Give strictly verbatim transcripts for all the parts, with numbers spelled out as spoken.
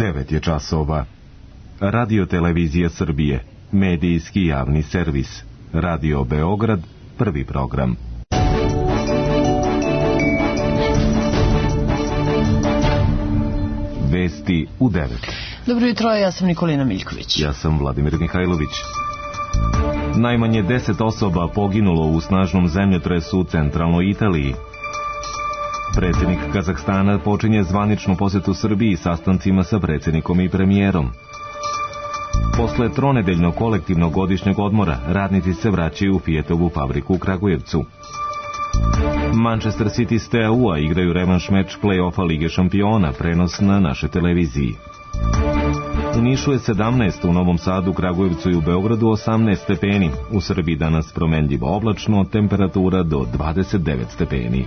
devet je časova. Radio Televizija Srbije, medijski javni servis. Radio Beograd, prvi program. Vesti u devet. Dobro jutro, ja sam Nikolina Miljković. Ja sam Vladimir Mihajlović. Najmanje deset osoba poginulo u snažnom zemljotresu u centralnoj Italiji. Predsjednik Kazahstana počinje zvaničnu posetu Srbiji sastancima sa predsjednikom i premijerom. Posle tronedeljnog kolektivnog godišnjeg odmora, radnici se vraćaju u Fijetovu fabriku u Kragujevcu. Manchester City s T A U-a igraju revanš meč play-offa Lige šampiona, prenos na našoj televiziji. U Nišu je sedamnaest, u Novom Sadu, Kragujevcu i u Beogradu osamnaest stepeni. U Srbiji danas promenljivo oblačno, temperatura do dvadeset devet stepeni.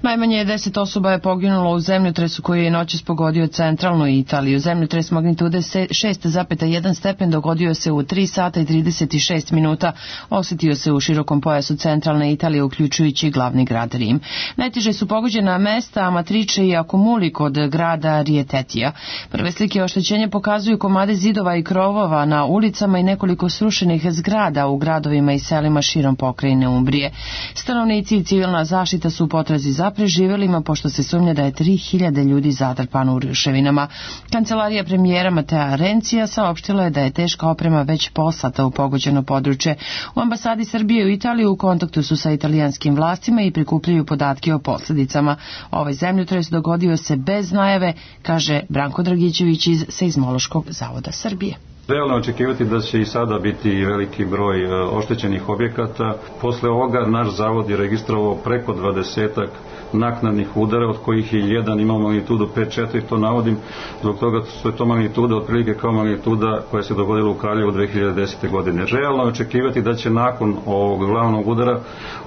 Najmanje deset osoba je poginulo u zemljotresu koji je noćas pogodio centralnu Italiju. Zemljotres magnitude šest zarez jedan stepen dogodio se u tri sata i trideset šest minuta. Osetio se u širokom pojasu centralne Italije, uključujući glavni grad Rim. Najteže su pogođena mesta Amatrice i Akumuli kod grada Rijetetija. Prve slike oštećenja pokazuju komade zidova i krovova na ulicama i nekoliko srušenih zgrada u gradovima i selima širom pokrajine Umbrije. Stanovnici i civilna zaštita su u potrazi za preživelima, pošto se sumnja da je tri hiljade ljudi zatrpano u ruševinama. Kancelarija premijera Matea Rencija saopštila je da je teška oprema već poslata u pogođeno područje. U ambasadi Srbije u Italiji u kontaktu su sa italijanskim vlastima i prikupljaju podatke o posljedicama. Ovaj zemljotres dogodio se bez najave, kaže Branko Dragićević iz Seizmološkog zavoda Srbije. Realno je očekivati da će i sada biti veliki broj oštećenih objekata. Posle ovoga naš zavod je registrovao preko dvadesetak naknadnih udara, od kojih je jedan imao magnitudu pet četiri, to navodim zbog toga što je to magnituda otprilike kao magnituda koja se dogodila u Kraljevu dve hiljade desete. godine. Realno je očekivati da će nakon ovog glavnog udara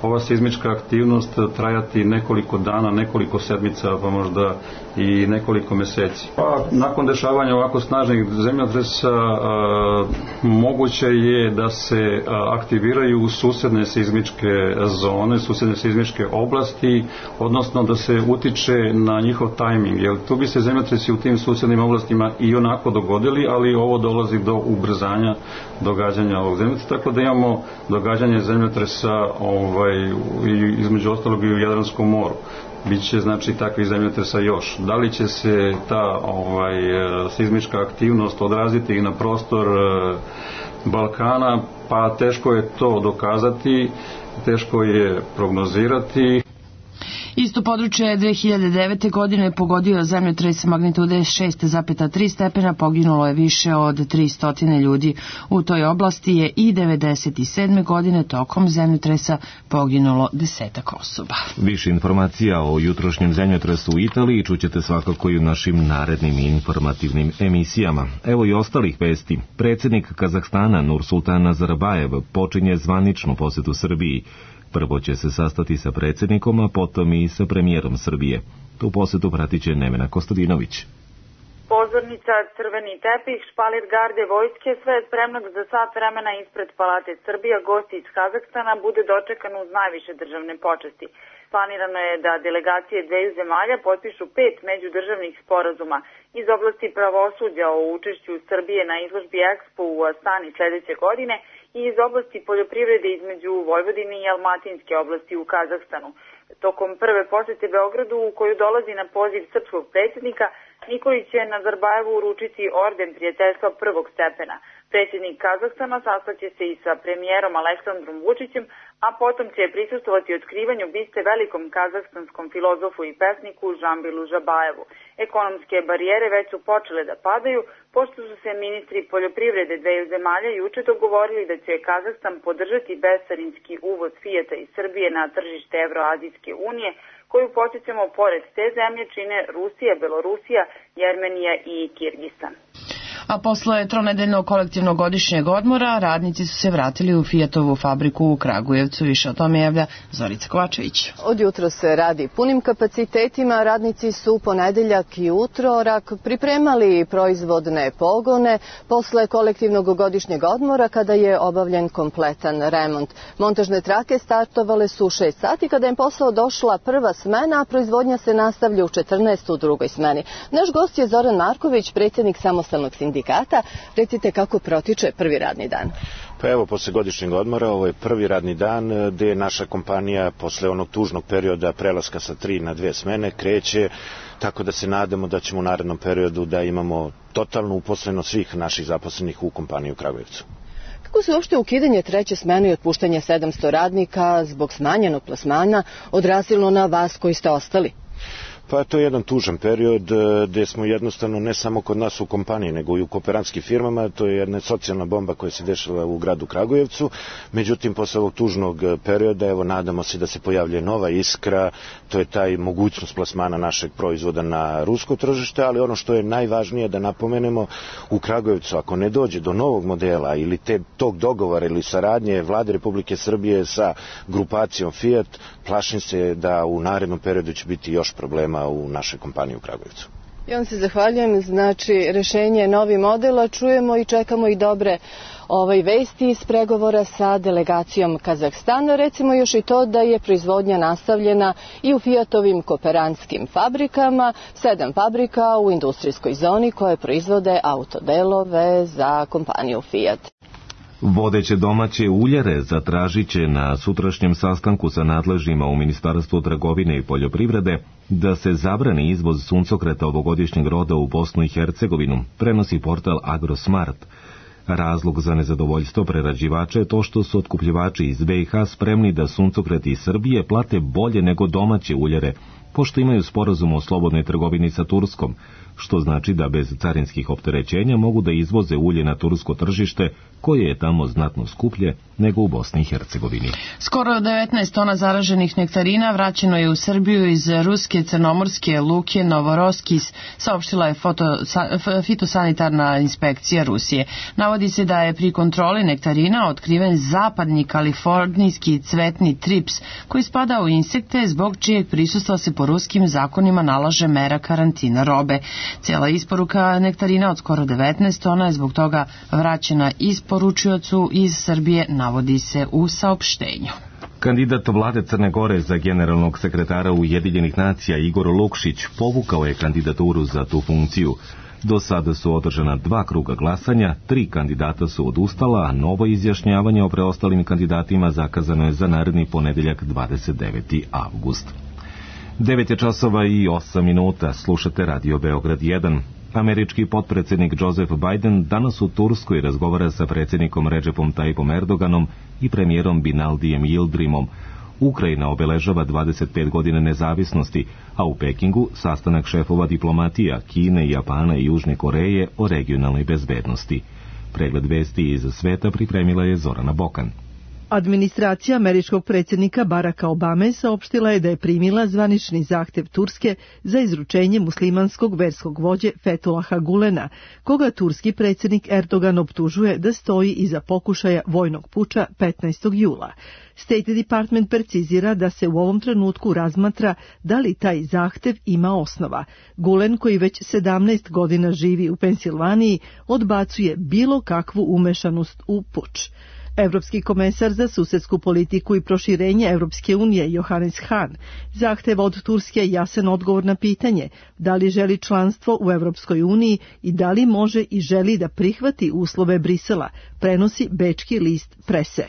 ova seizmička aktivnost trajati nekoliko dana, nekoliko sedmica, pa možda i nekoliko meseci. Pa nakon dešavanja ovako snažnih zemljotresa a, moguće je da se a, aktiviraju susedne seizmičke zone, susedne seizmičke oblasti, odnosno da se utiče na njihov tajming, jer tu bi se zemljotresi u tim susednim oblastima i onako dogodili, ali ovo dolazi do ubrzanja događanja ovog zemljotresa, tako da imamo događanje zemljotresa ovaj, između ostalog i u Jadranskom moru. Biće znači takvih zemljotresa još. Da li će se ta ovaj, seizmička aktivnost odraziti i na prostor e, Balkana, pa teško je to dokazati, teško je prognozirati. Isto područje je dve hiljade devete. godine pogodio zemljotres magnitude šest zarez tri stepena, poginulo je više od tristo ljudi. U toj oblasti je i devedeset sedme. godine tokom zemljotresa poginulo desetak osoba. Više informacija o jutrošnjem zemljotresu u Italiji čućete svakako i u našim narednim informativnim emisijama. Evo i ostalih vesti. Predsjednik Kazahstana Nursultan Nazarbajev počinje zvaničnu posetu Srbiji. Prvo će se sastati sa predsjednikom, a potom i sa premijerom Srbije. Tu posetu pratit će Nevena Kostadinović. Pozornica, crveni tepih, špalir garde vojske, sve je spremno za sat vremena ispred Palate Srbija. Gosti iz Kazahstana bude dočekan uz najviše državne počasti. Planirano je da delegacije dveju zemalja potpišu pet međudržavnih sporazuma iz oblasti pravosuđa o učešću Srbije na izložbi Expo u Astani sljedeće godine i iz oblasti poljoprivrede između Vojvodine i Almatinske oblasti u Kazahstanu. Tokom prve posete Beogradu, u koju dolazi na poziv srpskog predsjednika, Nikolić će Nazarbajevu uručiti orden prijateljstva prvog stepena. Predsjednik Kazahstana sastaće se i sa premijerom Aleksandrom Vučićem, a potom će prisustvovati otkrivanju biste velikom kazahstanskom filozofu i pesniku Žambilu Žabajevu. Ekonomske barijere već su počele da padaju, pošto su se ministri poljoprivrede dveju zemalja juče dogovorili da će Kazahstan podržati bescarinski uvoz Fijata iz Srbije na tržište Evroazijske unije, koju podsjećamo pored te zemlje čine Rusija, Belorusija, Jermenija i Kirgistan. A posle tronedeljnog kolektivnog godišnjeg odmora radnici su se vratili u Fijatovu fabriku u Kragujevcu. Više o tome javlja Zorica Kovačević. Od jutra se radi punim kapacitetima. Radnici su ponedeljak i utorak pripremali proizvodne pogone posle kolektivnog godišnjeg odmora kada je obavljen kompletan remont. Montažne trake startovale su u šest sati kada je posao došla prva smena, a proizvodnja se nastavlja u četrnaest u drugoj smeni. Naš gost je Zoran Marković, predsjednik samostalnog sindikata. Recite kako protiče prvi radni dan. Pa evo, posle godišnjeg odmora, ovo je prvi radni dan gde je naša kompanija posle onog tužnog perioda prelaska sa tri na dve smene kreće, tako da se nadamo da ćemo u narednom periodu da imamo totalnu uposlenost svih naših zaposlenih u kompaniji u Kragujevcu. Kako se uopšte ukidanje treće smene i otpuštanje sedamsto radnika zbog smanjenog plasmana odrazilo na vas koji ste ostali? Pa to je jedan tužan period gde smo jednostavno ne samo kod nas u kompaniji, nego i u kooperantskim firmama. To je jedna socijalna bomba koja se dešava u gradu Kragujevcu. Međutim, posle ovog tužnog perioda, evo, nadamo se da se pojavlja nova iskra. To je taj mogućnost plasmana našeg proizvoda na rusko tržište, ali ono što je najvažnije da napomenemo, u Kragujevcu, ako ne dođe do novog modela ili te, tog dogovora ili saradnje Vlade Republike Srbije sa grupacijom Fiat, plašim se da u narednom periodu će biti još problema u našoj kompaniji u Kragujevcu. Ja vam se zahvaljujem. Znači, rešenje je novi model, a čujemo i čekamo i dobre ovaj, vesti iz pregovora sa delegacijom Kazahstana. Recimo još i to da je proizvodnja nastavljena i u Fiatovim kooperantskim fabrikama, sedam fabrika u industrijskoj zoni koje proizvode autodelove za kompaniju Fiat. Vodeće domaće uljare zatražit će na sutrašnjem sastanku sa nadležnjima u Ministarstvu trgovine i poljoprivrede da se zabrani izvoz suncokreta ovogodišnjeg roda u Bosnu i Hercegovinu, prenosi portal Agrosmart. Razlog za nezadovoljstvo prerađivača je to što su otkupljivači iz B i H spremni da suncokret iz Srbije plate bolje nego domaće uljare, pošto imaju sporazum o slobodnoj trgovini sa Turskom, što znači da bez carinskih opterećenja mogu da izvoze ulje na tursko tržište, koje je tamo znatno skuplje nego u Bosni i Hercegovini. Skoro devetnaest tona zaraženih nektarina vraćeno je u Srbiju iz ruske crnomorske luke Novoroskis, saopštila je foto, fitosanitarna inspekcija Rusije. Navodi se da je pri kontroli nektarina otkriven zapadni kalifornijski cvetni trips, koji spada u insekte zbog čijeg prisustva se po ruskim zakonima nalaže mera karantina robe. Cijela isporuka nektarina od skoro devetnaest tona je zbog toga vraćena isporučiocu iz Srbije, navodi se u saopštenju. Kandidat vlade Crne Gore za generalnog sekretara Ujedinjenih nacija Igor Lukšić povukao je kandidaturu za tu funkciju. Do sada su održana dva kruga glasanja, tri kandidata su odustala, a novo izjašnjavanje o preostalim kandidatima zakazano je za naredni ponedeljak dvadeset deveti avgust. devet je časova i osam minuta, slušate Radio Beograd jedan. Američki potpredsjednik Joseph Biden danas u Turskoj razgovara sa predsjednikom Recepom Tayyipom Erdoganom i premijerom Binaldijem Yildirimom. Ukrajina obeležava dvadeset pet godina nezavisnosti, a u Pekingu sastanak šefova diplomatija Kine, Japana i Južne Koreje o regionalnoj bezbednosti. Pregled vesti iz sveta pripremila je Zorana Bokan. Administracija američkog predsjednika Baracka Obame saopštila je da je primila zvanični zahtev Turske za izručenje muslimanskog verskog vođe Fethullaha Gulena, koga turski predsjednik Erdogan optužuje da stoji iza pokušaja vojnog puča petnaestog jula. State Department precizira da se u ovom trenutku razmatra da li taj zahtev ima osnova. Gulen, koji već sedamnaest godina živi u Pensilvaniji, odbacuje bilo kakvu umešanost u puč. Evropski komesar za susedsku politiku i proširenje Evropske unije Johannes Hahn zahteva od Turske jasan odgovor na pitanje da li želi članstvo u Evropskoj uniji i da li može i želi da prihvati uslove Brisela, prenosi bečki list Prese.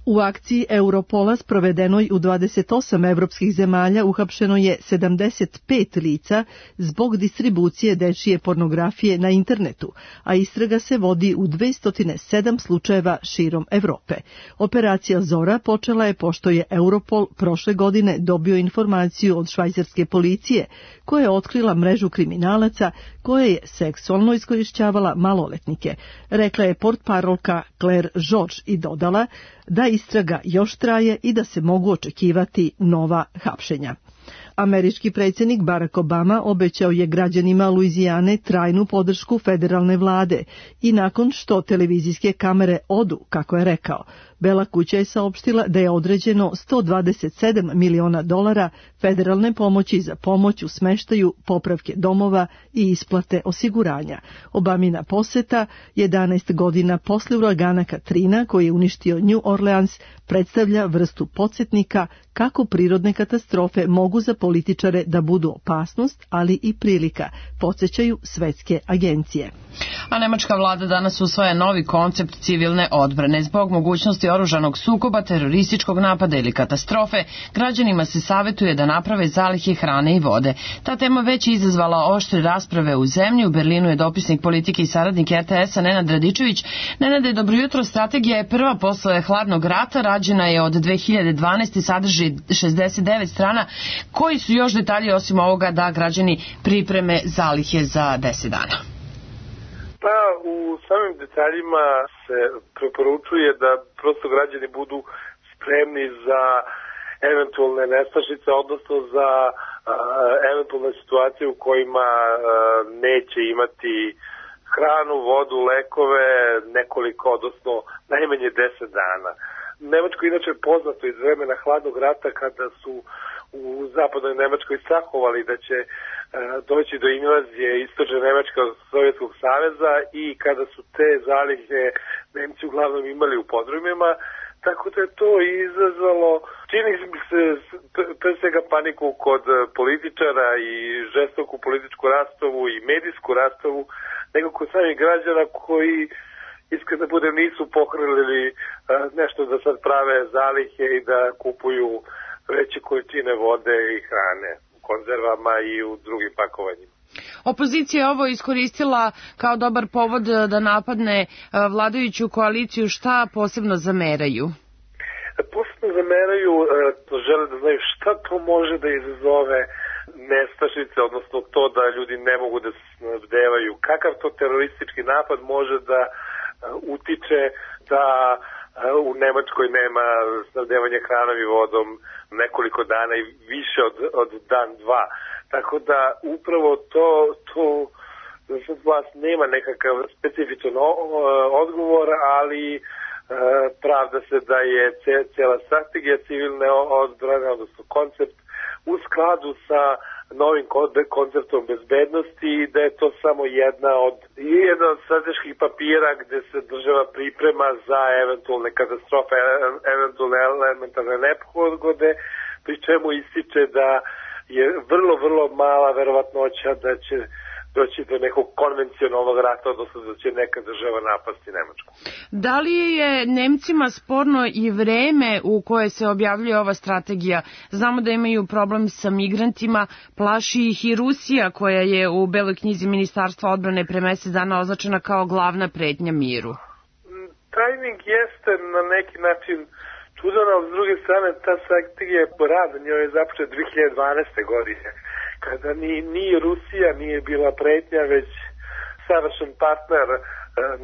U akciji Europola sprovedenoj u dvadeset osam evropskih zemalja uhapšeno je sedamdeset pet lica zbog distribucije dečije pornografije na internetu, a istraga se vodi u dvesta sedam slučajeva širom Evrope. Operacija Zora počela je pošto je Europol prošle godine dobio informaciju od švajcarske policije, koja je otkrila mrežu kriminalaca koja je seksualno iskorišćavala maloletnike, rekla je portparolka Claire George i dodala da istraga još traje i da se mogu očekivati nova hapšenja. Američki predsjednik Barack Obama obećao je građanima Luizijane trajnu podršku federalne vlade i nakon što televizijske kamere odu, kako je rekao, Bela kuća je saopštila da je određeno sto dvadeset sedam miliona dolara federalne pomoći za pomoć u smeštaju, popravke domova i isplate osiguranja. Obamina poseta, jedanaest godina posle uragana Katrina koji je uništio New Orleans, predstavlja vrstu podsjetnika kako prirodne katastrofe mogu za političare da budu opasnost, ali i prilika, podsjećaju svetske agencije. A nemačka vlada danas usvaja novi koncept civilne odbrane. Zbog mogućnosti oružanog sukoba, terorističkog napada ili katastrofe, građanima se savetuje da naprave zalihe hrane i vode. Ta tema već je izazvala oštre rasprave u zemlji. U Berlinu je dopisnik politike i saradnik R T S-a Nenad Radičević. Nenade, dobro jutro. Strategija je prva posle hladnog rata, rađena je od dve hiljade dvanaeste. sadrži šezdeset devet strana. Koji su još detalji osim ovoga da građani pripreme zalihe za deset dana? Pa u samim detaljima se preporučuje da prosto građani budu spremni za eventualne nestašice, odnosno za a, eventualne situacije u kojima a, neće imati hranu, vodu, lekove nekoliko, odnosno najmanje deset dana. Nemačko inače je poznato iz vremena hladnog rata kada su u zapadnoj Nemačkoj strahovali da će doći do invazije istočne Nemačke od Sovjetskog saveza i kada su te zalihe Nemci uglavnom imali u podrumima, tako da je to izazvalo, čini se pre svega paniku kod političara i žestoku političku rastavu i medijsku rastavu, nego kod samih građana koji iskreno da budem nisu pohrlili nešto da sad prave zalihe i da kupuju veće količine vode i hrane u konzervama i u drugim pakovanjima. Opozicija je ovo iskoristila kao dobar povod da napadne vladajuću koaliciju. Šta posebno zameraju? Posebno zameraju, žele da znaju šta to može da izazove nestašice, odnosno to da ljudi ne mogu da se snabdevaju. Kakav to teroristički napad može da utiče da u Nemačkoj nema snabdevanja hranom i vodom nekoliko dana i više od, od dan, dva. Tako da upravo to, to sad vlast nema nekakav specifičan odgovor, ali e, pravda se da je cijela strategija civilne odbrane, odnosno koncept, u skladu sa novim konceptom bezbednosti i da je to samo jedna od, jedna od strateških papira gde se država priprema za eventualne katastrofe, eventualne elementarne nepogode, pri čemu ističe da je vrlo, vrlo mala verovatnoća da će doći do nekog konvencionalnog rata, odnosno da će neka država napasti Nemačku. Da li je Nemcima sporno i vreme u koje se objavljuje ova strategija? Znamo da imaju problem sa migrantima, plaši ih i Rusija koja je u Beloj knjizi Ministarstva odbrane pre mesec dana označena kao glavna pretnja miru. Tajming jeste na neki način čudan, ali s druge strane ta strategija je rad, njoj je započet dve hiljade dvanaeste. godine. Kada ni, ni Rusija nije bila pretnja, već savršen partner e,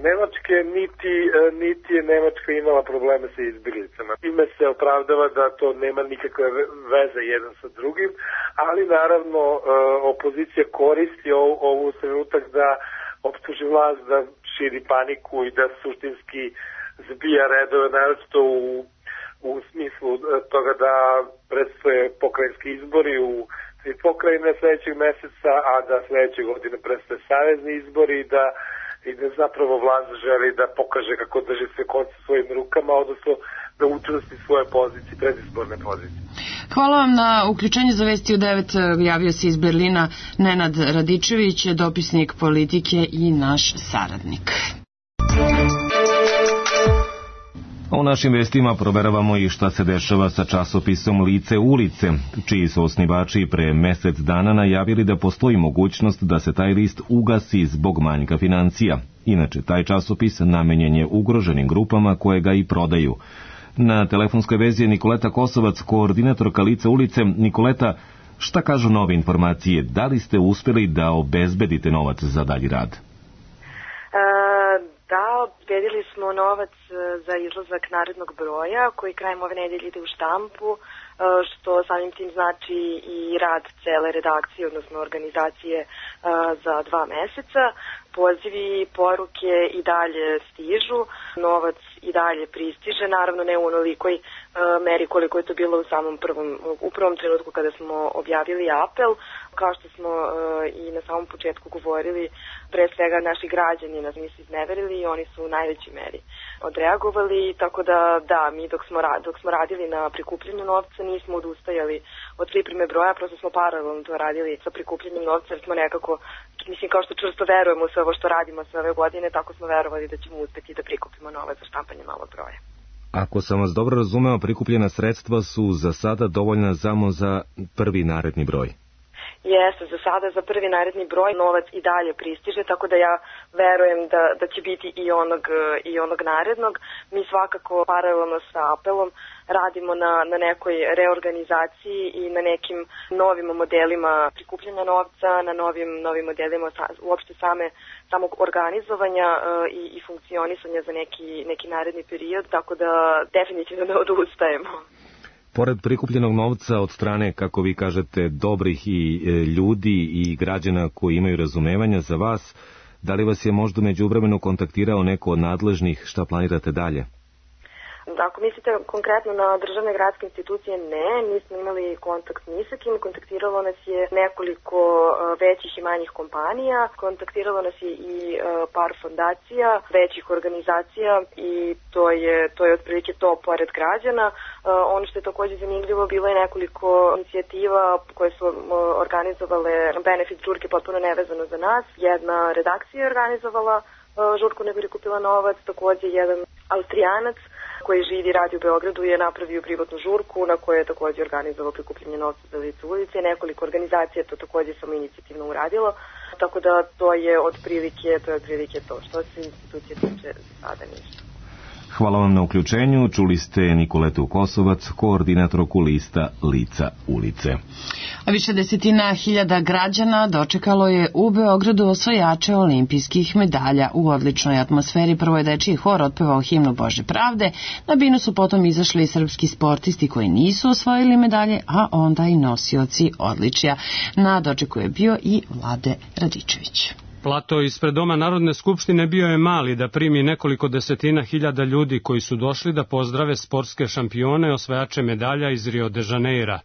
Nemačke, niti, e, niti je Nemačka imala probleme sa izbjeglicama. Ime se opravdava da to nema nikakve veze jedan sa drugim, ali naravno e, opozicija koristi ov, ovu trenutak da optuži vlast da širi paniku i da suštinski zbija redove, naročito u, u smislu toga da predstoje pokrajinski izbori u i pokrajine sledećeg meseca, a da sledeće godine prestaje savezni izbori i da, i da zapravo vlast želi da pokaže kako drži sve konce svojim rukama, odnosno da učvrsti svoje pozicije, predizborne pozicije. Hvala vam na uključenju za Vesti u devet. Javio se iz Berlina Nenad Radičević, dopisnik politike i naš saradnik. U našim vestima proveravamo i šta se dešava sa časopisom Lice ulice, čiji su osnivači pre mesec dana najavili da postoji mogućnost da se taj list ugasi zbog manjka financija. Inače, taj časopis namenjen je ugroženim grupama koje ga i prodaju. Na telefonskoj vezi je Nikoleta Kosovac, koordinatorka Lice ulice. Nikoleta, šta kažu nove informacije? Da li ste uspeli da obezbedite novac za dalji rad? Da, obezbedili smo novac za izlazak narednog broja koji krajem ove nedelje ide u štampu. što samim tim znači i rad cele redakcije, odnosno organizacije za dva meseca. Pozivi, poruke i dalje stižu, novac i dalje pristiže, naravno ne u onolikoj e, meri koliko je to bilo u samom prvom, u prvom trenutku kada smo objavili apel. Kao što smo e, i na samom početku govorili, pre svega naši građani nas nisu izneverili i oni su u najvećoj meri odreagovali, tako da da, mi dok smo, dok smo radili na prikupljenju novca nismo odustajali od pripreme broja, prosto smo paralelno to radili sa prikupljenjem novca jer smo nekako, mislim kao što čvrsto verujemo u sve ovo što radimo sve ove godine, tako smo verovali da ćemo uspeti da prikupimo novac za štampanje malog broja. Ako sam vas dobro razumeo, prikupljena sredstva su za sada dovoljna samo za prvi naredni broj. Jeste, za sada za prvi naredni broj novac i dalje pristiže, tako da ja verujem da, da će biti i onog, i onog narednog. Mi svakako paralelno sa apelom radimo na, na nekoj reorganizaciji i na nekim novim modelima prikupljanja novca, na novim, novim modelima sa, uopšte same, samog organizovanja e, i, i funkcionisanja za neki, neki naredni period, tako da definitivno ne odustajemo. Pored prikupljenog novca od strane, kako vi kažete, dobrih i e, ljudi i građana koji imaju razumevanja za vas, da li vas je možda međuvremenu kontaktirao neko od nadležnih, šta planirate dalje? Ako mislite konkretno na državne gradske institucije, ne, nismo imali kontakt ni sa kim, kontaktiralo nas je nekoliko većih i manjih kompanija, kontaktiralo nas je i par fondacija, većih organizacija i to je, to je otprilike to pored građana. Ono što je također zanimljivo, bilo je nekoliko inicijativa koje su organizovale benefit žurke potpuno nevezano za nas. Jedna redakcija je organizovala žurku ne bi prikupila novac, također jedan Austrijanac koji živi i radi u Beogradu je napravio privatnu žurku na kojoj je također organizovao prikupljanje novca za lice ulice. Nekoliko organizacija to također samo inicijativno uradilo, tako da to je otprilike to, je otprilike to što se institucije tiče sada ništa. Hvala vam na uključenju. Čuli ste Nikoletu Kosovac, koordinatorku lista Lica ulice. A više desetina hiljada građana dočekalo je u Beogradu osvajače olimpijskih medalja. U odličnoj atmosferi prvo je dečiji hor otpevao himnu Bože pravde. Na binu su potom izašli i srpski sportisti koji nisu osvojili medalje, a onda i nosioci odličja. Na dočeku je bio i Vlade Radičević. Plato ispred Doma Narodne skupštine bio je mali da primi nekoliko desetina hiljada ljudi koji su došli da pozdrave sportske šampione osvajače medalja iz Rio de Janeira.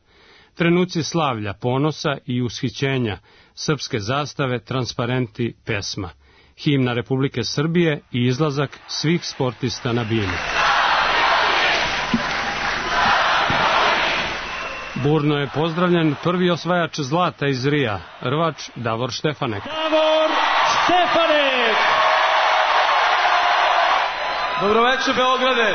Trenuci slavlja, ponosa i ushićenja, srpske zastave, transparenti, pesma, himna Republike Srbije i izlazak svih sportista na binu. Burno je pozdravljen prvi osvajač zlata iz Rija, rvač Davor Štefanek. Davor Štefanek! Dobroveče Beograde!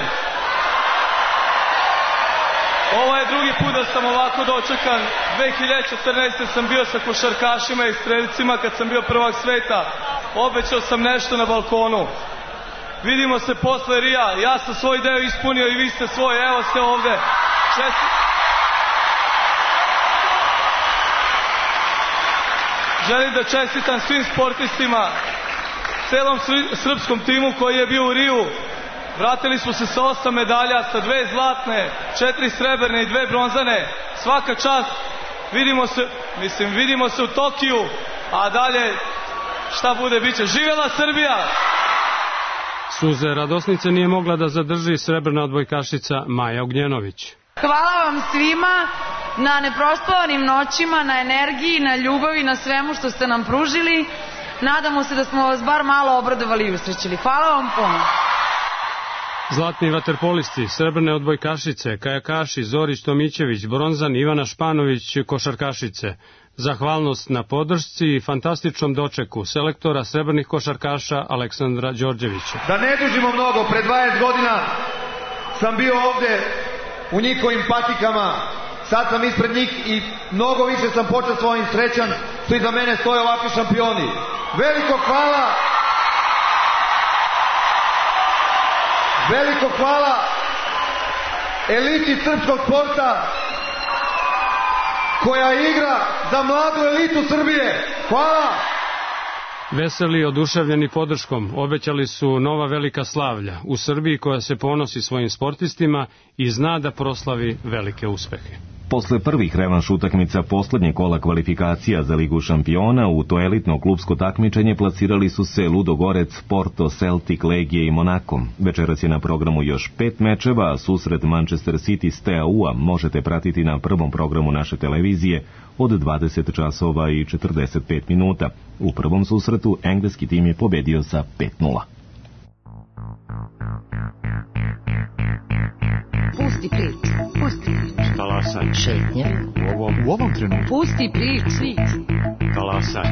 Ovo je drugi put da sam ovako dočekan. dve hiljade četrnaeste. sam bio sa košarkašima i streljcima kad sam bio prvak sveta. Obećao sam nešto na balkonu. Vidimo se posle Rija. Ja sam svoj deo ispunio i vi ste svoj. Evo ste ovde. Čest... Želim da čestitam svim sportistima, celom srpskom timu koji je bio u Riju. Vratili smo se sa osam medalja, sa dve zlatne, četiri srebrne i dve bronzane. Svaka čast. Vidimo se, mislim, vidimo se u Tokiju, a dalje šta bude biće. Živela Srbija! Suze radosnice nije mogla da zadrži srebrna odbojkašica Maja Ognjenović. Hvala vam svima na neprospavanim noćima, na energiji, na ljubavi, na svemu što ste nam pružili. Nadamo se da smo vas bar malo obradovali i usrećili. Hvala vam puno. Zlatni vaterpolisti, srebrne odbojkašice, kajakaši Zorić Tomićević, bronzan Ivana Španović, košarkašice. Zahvalnost na podršci i fantastičnom dočeku selektora srebrnih košarkaša Aleksandra Đorđevića. Da ne dužimo mnogo, pre dvadeset godina sam bio ovde u njihovim patikama. Sad sam ispred njih i mnogo više sam počastvovao i srećan što iza mene stoje ovakvi šampioni. Veliko hvala! Veliko hvala eliti srpskog sporta koja igra za mladu elitu Srbije. Hvala! Veseli, oduševljeni podrškom, obećali su nova velika slavlja u Srbiji koja se ponosi svojim sportistima i zna da proslavi velike uspehe. Posle prvih revanš utakmica poslednje kola kvalifikacija za Ligu šampiona, u to elitno klubsko takmičenje plasirali su se Ludogorec, Porto, Celtic, Legije i Monako. Večeras je na programu još pet mečeva, a susret Manchester City s T A U-a možete pratiti na prvom programu naše televizije od dvadeset časova i četrdeset pet minuta. U prvom susretu engleski tim je pobedio sa pet nula. Pusti priču, pusti priču. Talasaj. Šetnja. U ovom, u ovom trenutku. Pusti priču. Talasaj.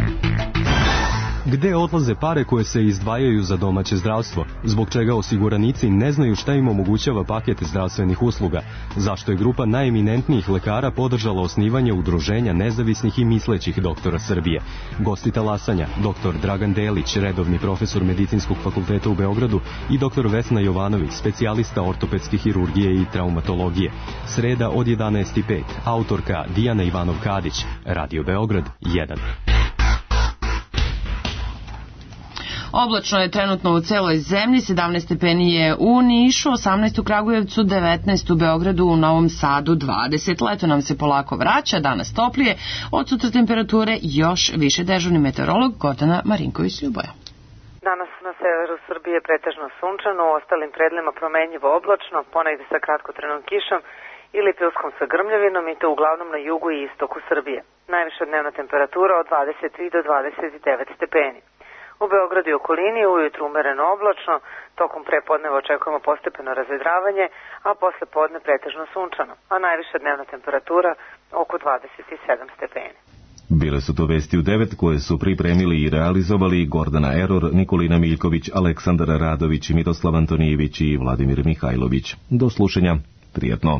Gde odlaze pare koje se izdvajaju za domaće zdravstvo? Zbog čega osiguranici ne znaju šta im omogućava paket zdravstvenih usluga? Zašto je grupa najeminentnijih lekara podržala osnivanje udruženja nezavisnih i mislećih doktora Srbije? Gosti talasanja, doktor Dragan Delić, redovni profesor Medicinskog fakulteta u Beogradu, i doktor Vesna Jovanović, specijalista ortopedske hirurgije i traumatologije. Sreda od jedanaest i pet, autorka Dijana Ivanov-Kadić, Radio Beograd jedan. Oblačno je trenutno u celoj zemlji, sedamnaest stepeni je u Nišu, osamnaest u Kragujevcu, devetnaest u Beogradu, u Novom Sadu dvadeset. Leto nam se polako vraća, danas toplije, od sutra temperature još više. Dežurni meteorolog Gordana Marinković-Ljuboja. Danas na severu Srbije pretežno sunčano, u ostalim predelima promenljivo oblačno, ponegde sa kratkotrenom kišom ili pilskom sa grmljavinom, i to uglavnom na jugu i istoku Srbije. Najviša dnevna temperatura od dvadeset tri do dvadeset devet stepeni. U Beogradu i okolini ujutru umereno oblačno, tokom prepodneva očekujemo postepeno razvedravanje, a posle podne pretežno sunčano, a najviša dnevna temperatura oko dvadeset sedam stepeni. Bile su to vesti u devet koje su pripremili i realizovali Gordana Eror, Nikolina Miljković, Aleksandar Radović, Miroslav Antonijević i Vladimir Mihajlović. Do slušanja, prijetno.